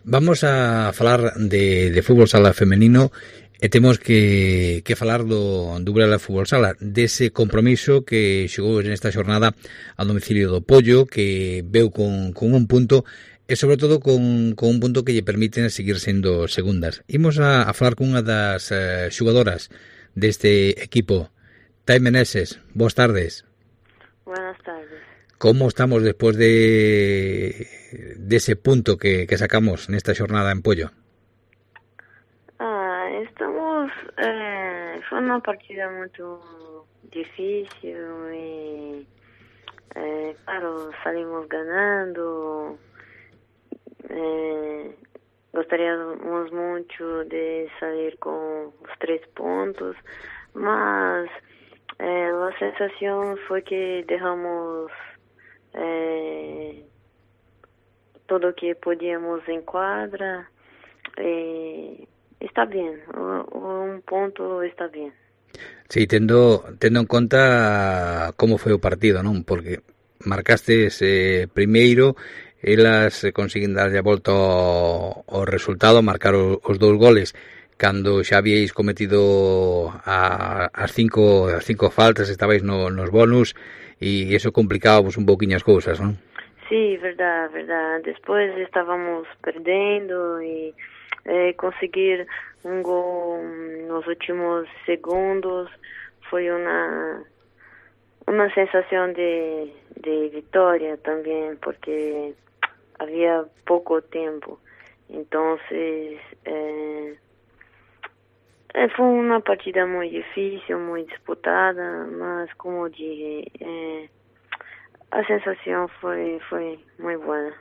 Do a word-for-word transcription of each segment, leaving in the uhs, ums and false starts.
Vamos a falar de, de fútbol sala femenino e temos que, que falar do, do Burela Fútbol Sala, dese compromiso que xogou nesta xornada a domicilio do Pollo, que veu con, con un punto e sobre todo con, con un punto que lle permiten seguir sendo segundas. Imos a, a falar cunha das eh, xogadoras deste equipo. Tai Meneses, boas tardes. Buenas tardes. Como estamos despois de dese punto que, que sacamos nesta xornada en Pollo? Ah, estamos... Eh, foi uma partida muito difícil e, eh, claro, salimos ganando. Eh, gostaríamos muito de sair com os três pontos, mas eh, a sensação foi que derramos eh, tudo o que podíamos em quadra e está bem, um ponto está bem. Sí, tendo, tendo en conta como foi o partido, non? Porque marcastes eh, primeiro, elas consiguen darlle a volta ao, ao resultado, marcar o, os dous goles cando xa habíais cometido a, as cinco as cinco faltas, estabais no, nos bonus e eso complicaba vos un pouquiño as cousas, non? Sí, verdade, verdade. Despois estávamos perdendo e eh, conseguir um gol nos últimos segundos foi uma uma sensação de, de vitória também, porque havia pouco tempo. Então, eh, foi uma partida muito difícil, muito disputada, mas, como eu disse, eh, a sensação foi, foi muito boa.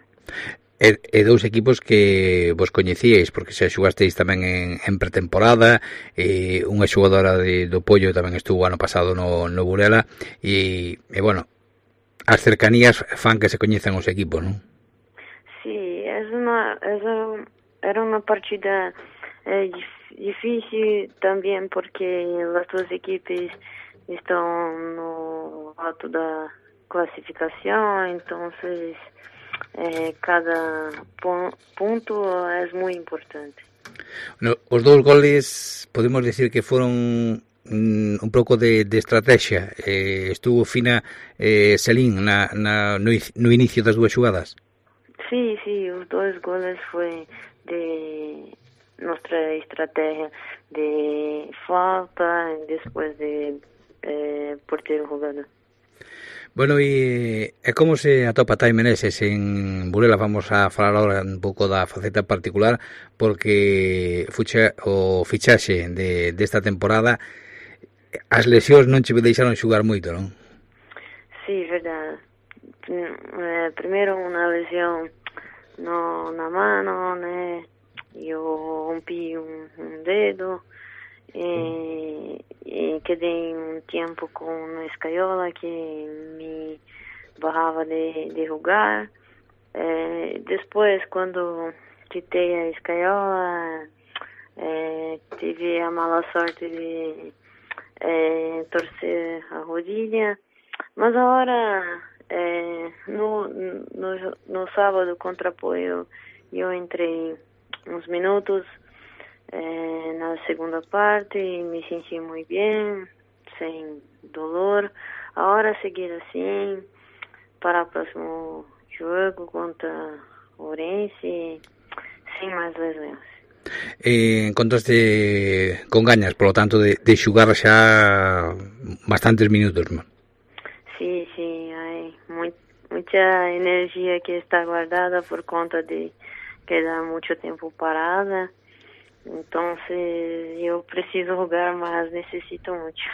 E, e dous equipos que vos coñecíais, porque xa xogasteis tamén en, en pretemporada, e unha xogadora de, do Pollo tamén estuvo ano pasado no, no Burela, e, e bueno, as cercanías fan que se coñezan os equipos, non? Sí, é uma, é uma, era uma partida eh, difícil também, porque as duas equipes estão no alto da classificação, então Eh, cada punto é muito importante. No, os dous goles podemos decir que foron mm, un pouco de, de estrategia. Eh, estuvo fina eh, Celín na, na, no, no inicio das dúas xogadas. Sí, sí, os dois goles foi de nossa estratégia de falta e depois de eh, porteiro jogado. Bueno, e, e como se atopa Tai Meneses en Burela? Vamos a falar agora un pouco da faceta particular, porque fuche o fichaxe de desta temporada, as lesións non che deixaron xogar moito, non? Sí, verdade. Eh, primeiro unha lesión no, na mano, né? Eu rompi un, un dedo e, e quedei um tempo com uma escaiola que me barrava de, de jogar. Eh, depois, quando quitei a escaiola, eh, tive a mala sorte de eh, torcer a rodilha. Mas agora, eh, no, no, no sábado contra Apoio, eu entrei uns minutos eh, na segunda parte e me senti muito bem, sem dolor. Agora seguir assim para o próximo jogo contra Ourense, sem mais lesões. Eh, encontraste con gañas, por lo tanto, de, de xugar xa bastantes minutos, non? Sí, sí, hay muy, mucha energía que está guardada por conta de quedar mucho tiempo parada. Entonces yo preciso jugar más, necesito mucho.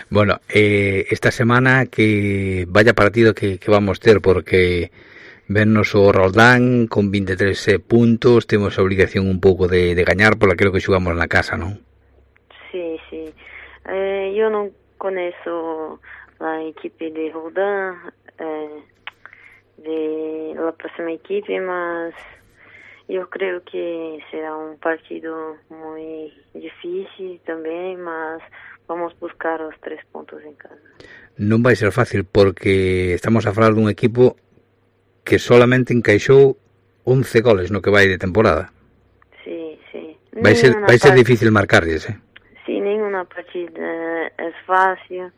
Bueno, eh, esta semana que vaya partido que, que vamos ter, porque vennos o Roldán con vinte e tres puntos, temos a obligación un pouco de, de gañar por aquilo que xugamos na casa, non? Sí, sí. Eh, yo non coneço a equipe de Roldán, eh, de la próxima equipe, mas eu creio que será um partido muito difícil também, mas vamos buscar os três pontos em casa. Non vai ser fácil, porque estamos a falar dun equipo que solamente encaixou once goles no que vai de temporada. Sí, sí. Vai ser, vai ser difícil marcarles, eh? Sí, ninguna partida es fácil,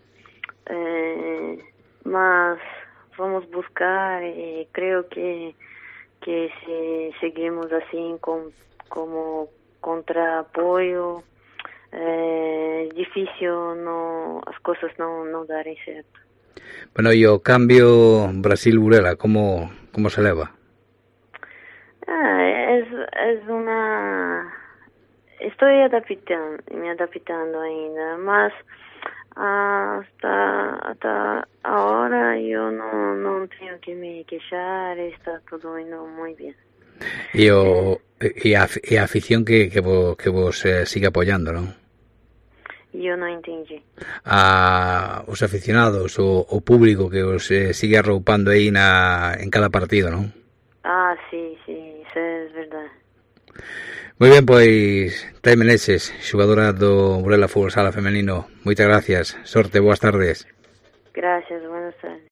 eh, mas vamos buscar y creo que, que si seguimos así con, como contraapoyo, eh, difícil no, as coisas não, não darem certo. Bueno, e o cambio Brasil-Burela, como, como se leva? Ah, es, es una... Estoy adaptando, me adaptando ainda, mas hasta, hasta ahora yo no, no tengo que me queixar, está todo indo muy bien. E, o, e, a, e a afición que, que vos, que vos eh, sigue apoyando, non? Eu não entendi. A os aficionados, o, o público que os eh, sigue arroupando aí na, en cada partido, non? Ah, sí, sí, isso é verdade. Moi ben, pois, Thay Meneses, xogadora do Burela Fútbol Sala Femenino, moitas gracias, sorte, boas tardes. Gracias, buenas tardes.